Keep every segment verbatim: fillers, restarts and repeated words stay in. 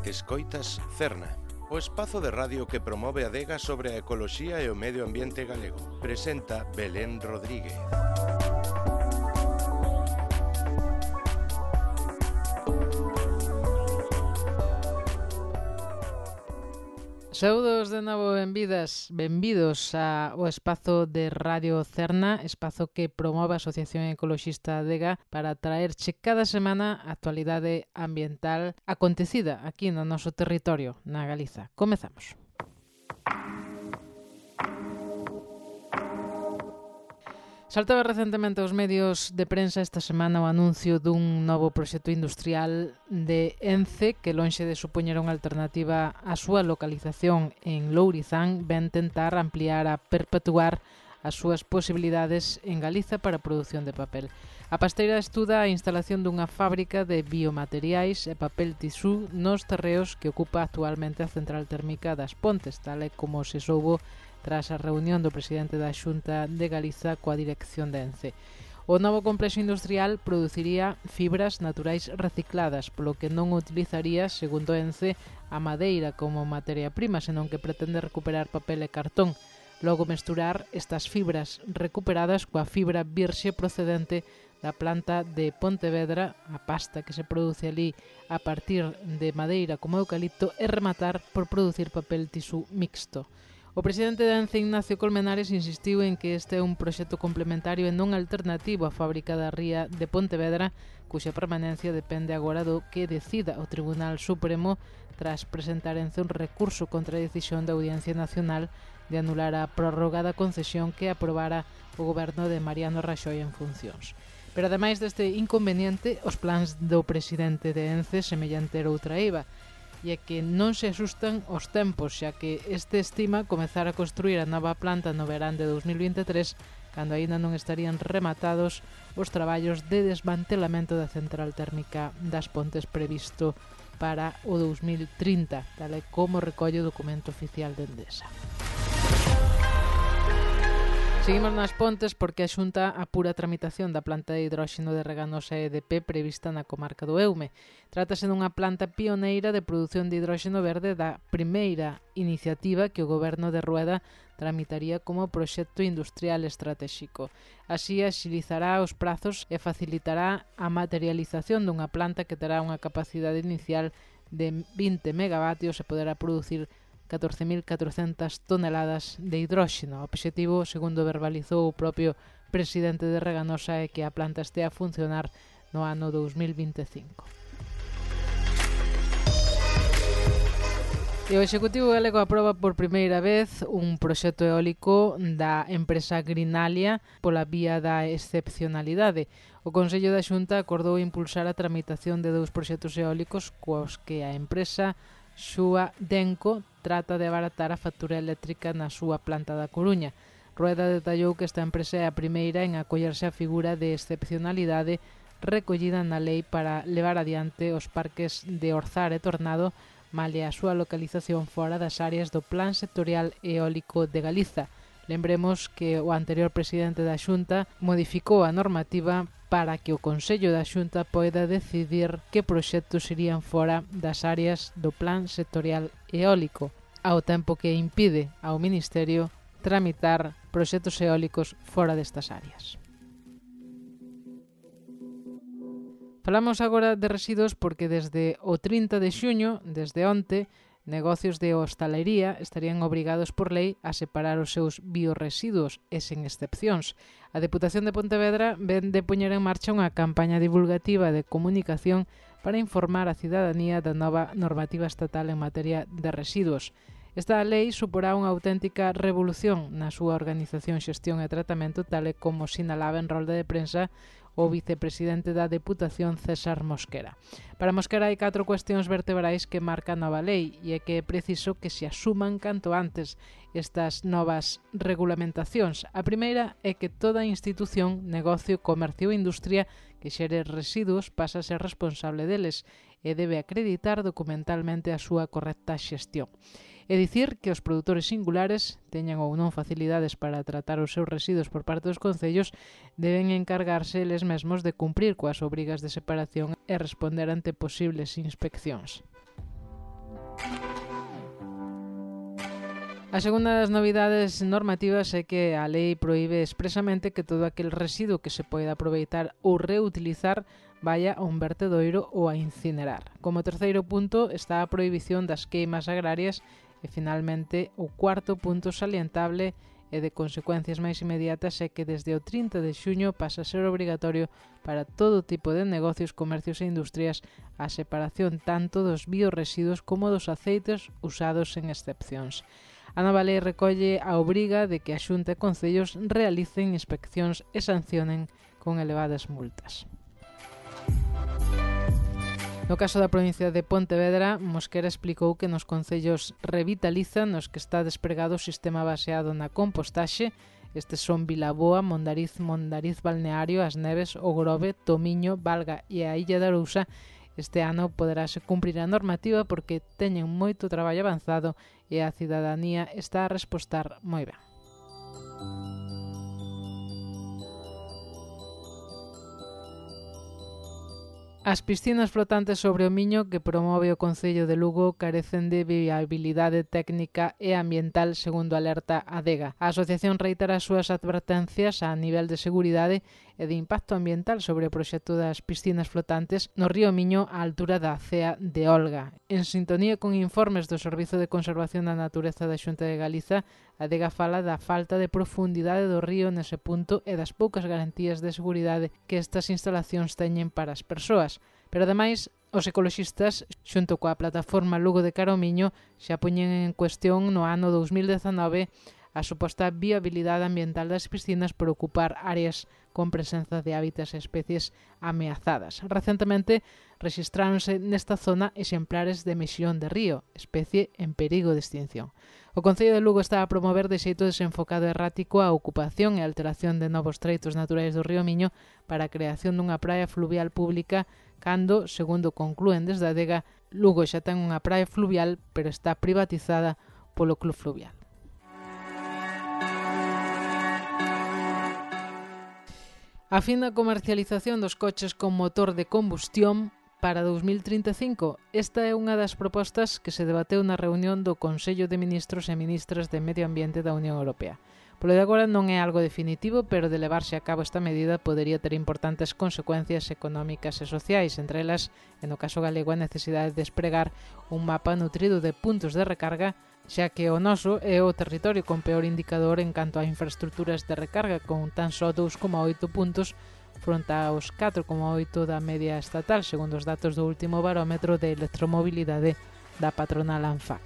Escoitas Cerna, o espazo de radio que promove a adega sobre a ecoloxía e o medio ambiente galego. Presenta Belén Rodríguez. Saúdos de novo, benvidas, benvidos ao espazo de Radio Cerna, espazo que promove a Asociación Ecoloxista Adega para traerche cada semana a actualidade ambiental acontecida aquí no noso territorio, na Galiza. Comezamos. Saltaba recentemente aos medios de prensa esta semana o anuncio dun novo proxecto industrial de Ence que, lonxe de supoñer unha alternativa á súa localización en Lourizán, ven tentar ampliar a perpetuar as súas posibilidades en Galiza para a produción de papel. A pasteira estuda a instalación dunha fábrica de biomateriais e papel tisú nos terreos que ocupa actualmente a central térmica das Pontes, tal e como se soubo tras a reunión do presidente da Xunta de Galiza coa dirección de Ence. O novo complexo industrial produciría fibras naturais recicladas, polo que non utilizaría, segundo Ence, a madeira como materia prima, senón que pretende recuperar papel e cartón. Logo mesturar estas fibras recuperadas coa fibra virxe procedente da planta de Pontevedra, a pasta que se produce ali a partir de madeira como eucalipto, e rematar por producir papel tisú mixto. O presidente de Ence, Ignacio Colmenares, insistiu en que este é un proxecto complementario e non alternativo á fábrica da ría de Pontevedra, cuxa permanencia depende agora do que decida o Tribunal Supremo tras presentar Ence un recurso contra a decisión da Audiencia Nacional de anular a prórroga da concesión que aprobara o goberno de Mariano Raxoi en funcións. Pero ademais deste inconveniente, os plans do presidente de Ence semellante era outra eiva, e é que non se asustan os tempos, xa que este estima comezar a construir a nova planta no verán de dos mil vinte e tres, cando aínda non estarían rematados os traballos de desmantelamento da central térmica das Pontes previsto para o dos mil trinta, tal e como recolle o documento oficial de Endesa. Seguimos nas Pontes porque a Xunta apura a tramitación da planta de hidróxeno de Reganosa E D P prevista na comarca do Eume. Trátase dunha planta pioneira de produción de hidróxeno verde da primeira iniciativa que o goberno de Rueda tramitaría como proxecto industrial estratéxico. Así axilizará os prazos e facilitará a materialización dunha planta que terá unha capacidade inicial de vinte megavatios e poderá producir catorce mil catrocentas toneladas de hidróxeno. O obxectivo, segundo verbalizou o propio presidente de Reganosa, é que a planta estea a funcionar no ano dos mil vinte e cinco. E o Executivo galego aproba por primeira vez un proxecto eólico da empresa Greenalia pola vía da excepcionalidade. O Consello da Xunta acordou impulsar a tramitación de dous proxectos eólicos cos que a empresa Xúa Denco trata de abaratar a factura eléctrica na súa planta da Coruña. Rueda detallou que esta empresa é a primeira en acollerse a figura de excepcionalidade recollida na lei para levar adiante os parques de Orzar e Tornado, malia a súa localización fora das áreas do Plan Sectorial Eólico de Galiza. Lembremos que o anterior presidente da Xunta modificou a normativa para que o Consello da Xunta poida decidir que proxectos irían fora das áreas do Plan Sectorial Eólico, ao tempo que impide ao Ministerio tramitar proxectos eólicos fora destas áreas. Falamos agora de residuos porque desde o trinta de xuño, desde onte, negocios de hostalería estarían obrigados por lei a separar os seus biorresiduos e sen excepcións. A Deputación de Pontevedra ven de poñer en marcha unha campaña divulgativa de comunicación para informar a cidadanía da nova normativa estatal en materia de residuos. Esta lei suporá unha auténtica revolución na súa organización, xestión e tratamento, tal e como sinalaba en rolda de prensa o vicepresidente da Deputación, César Mosquera. Para Mosquera hai catro cuestións vertebrais que marca a nova lei e é que é preciso que se asuman canto antes estas novas regulamentacións. A primeira é que toda institución, negocio, comercio ou industria que xere residuos pasa a ser responsable deles e debe acreditar documentalmente a súa correcta xestión. É dicir que os produtores singulares, teñan ou non facilidades para tratar os seus residuos por parte dos concellos, deben encargarse eles mesmos de cumprir coas obrigas de separación e responder ante posibles inspeccións. A segunda das novidades normativas é que a lei proíbe expresamente que todo aquel residuo que se poida aproveitar ou reutilizar vaya a un vertedoiro ou a incinerar. Como terceiro punto está a prohibición das queimas agrarias e, finalmente, o cuarto punto salientable e de consecuencias máis inmediatas é que desde o trinta de xuño pasa a ser obrigatorio para todo tipo de negocios, comercios e industrias a separación tanto dos biorresiduos como dos aceites usados en excepcións. A nova lei recolle a obriga de que a Xunta e Concellos realicen inspeccións e sancionen con elevadas multas. No caso da provincia de Pontevedra, Mosquera explicou que nos concellos Revitaliza, nos que está despregado o sistema baseado na compostaxe. Estes son Vilaboa, Mondariz, Mondariz Balneario, As Neves, O Grove, Tomiño, Valga e a Illa de Arousa. Este ano poderase cumprir a normativa porque teñen moito traballo avanzado e a cidadanía está a respostar moi ben. As piscinas flotantes sobre o Miño que promove o Concello de Lugo carecen de viabilidade técnica e ambiental, segundo alerta Adega. A asociación reitera as súas advertencias a nivel de seguridade e de impacto ambiental sobre o proxecto das piscinas flotantes no río Miño á altura da cea de Olga. En sintonía con informes do Servizo de Conservación da Natureza da Xunta de Galiza, a Adega fala da falta de profundidade do río nese punto e das poucas garantías de seguridade que estas instalacións teñen para as persoas. Pero, ademais, os ecoloxistas, xunto coa plataforma Lugo de Cara ao Miño, xa poñen en cuestión no ano dous mil dezanove a suposta viabilidade ambiental das piscinas por ocupar áreas con presenza de hábitats e especies ameazadas. Recentemente rexistráronse nesta zona exemplares de mexillón de río, especie en perigo de extinción. O Concello de Lugo está a promover de xeito desenfocado e errático a ocupación e alteración de novos treitos naturais do río Miño para a creación dunha praia fluvial pública cando, segundo conclúen desde a Adega, Lugo xa ten unha praia fluvial pero está privatizada polo Club Fluvial. A fin da comercialización dos coches con motor de combustión para dous mil trinta e cinco. Esta é unha das propostas que se debateu na reunión do Consello de Ministros e Ministras de Medio Ambiente da Unión Europea. Polo de agora non é algo definitivo, pero de levarse a cabo esta medida podería ter importantes consecuencias económicas e sociais, entre elas, en o caso galego, a necesidade de despregar un mapa nutrido de puntos de recarga, xa que o noso é o territorio con peor indicador en canto a infraestructuras de recarga, con tan só dous coma oito puntos fronte aos catro coma oito da media estatal, segundo os datos do último barómetro de electromobilidade da patronal ANFAC.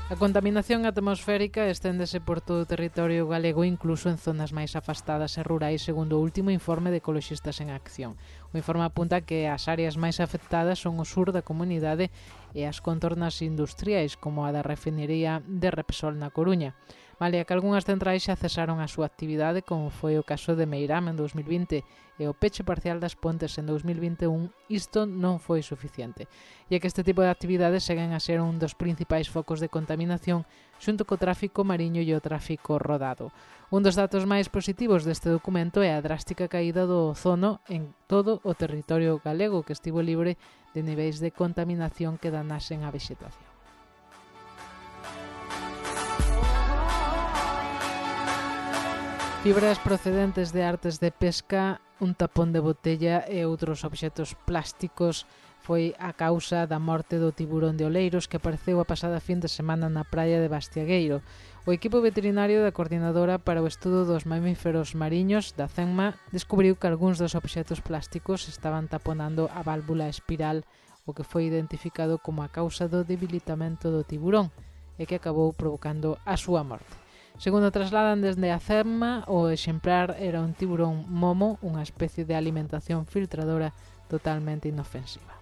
A contaminación atmosférica esténdese por todo o territorio galego, incluso en zonas máis afastadas e rurais, segundo o último informe de Ecoloxistas en Acción. O informe apunta que as áreas máis afectadas son o sur da comunidade e as contornas industriais, como a da refinería de Repsol na Coruña. Malia que algunhas centrais xa cesaron a súa actividade, como foi o caso de Meirama en dous mil vinte e o peche parcial das Pontes en dous mil vinte e un, isto non foi suficiente, e que este tipo de actividades seguen a ser un dos principais focos de contaminación xunto co tráfico mariño e o tráfico rodado. Un dos datos máis positivos deste documento é a drástica caída do ozono en todo o territorio galego, que estivo libre de niveis de contaminación que danasen a vexetación. Fibras procedentes de artes de pesca, un tapón de botella e outros obxetos plásticos foi a causa da morte do tiburón de Oleiros que apareceu a pasada fin de semana na praia de Bastiagueiro. O equipo veterinario da Coordinadora para o Estudo dos Mamíferos Mariños da CENMA descubriu que algúns dos obxetos plásticos estaban taponando a válvula espiral, o que foi identificado como a causa do debilitamento do tiburón e que acabou provocando a súa morte. Segundo trasladan desde a CENMA, o exemplar era un tiburón momo, unha especie de alimentación filtradora totalmente inofensiva.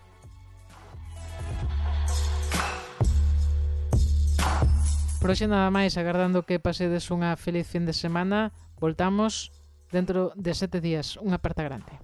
Por hoxe nada máis, agardando que pasedes unha feliz fin de semana. Voltamos dentro de sete días. Unha aperta grande.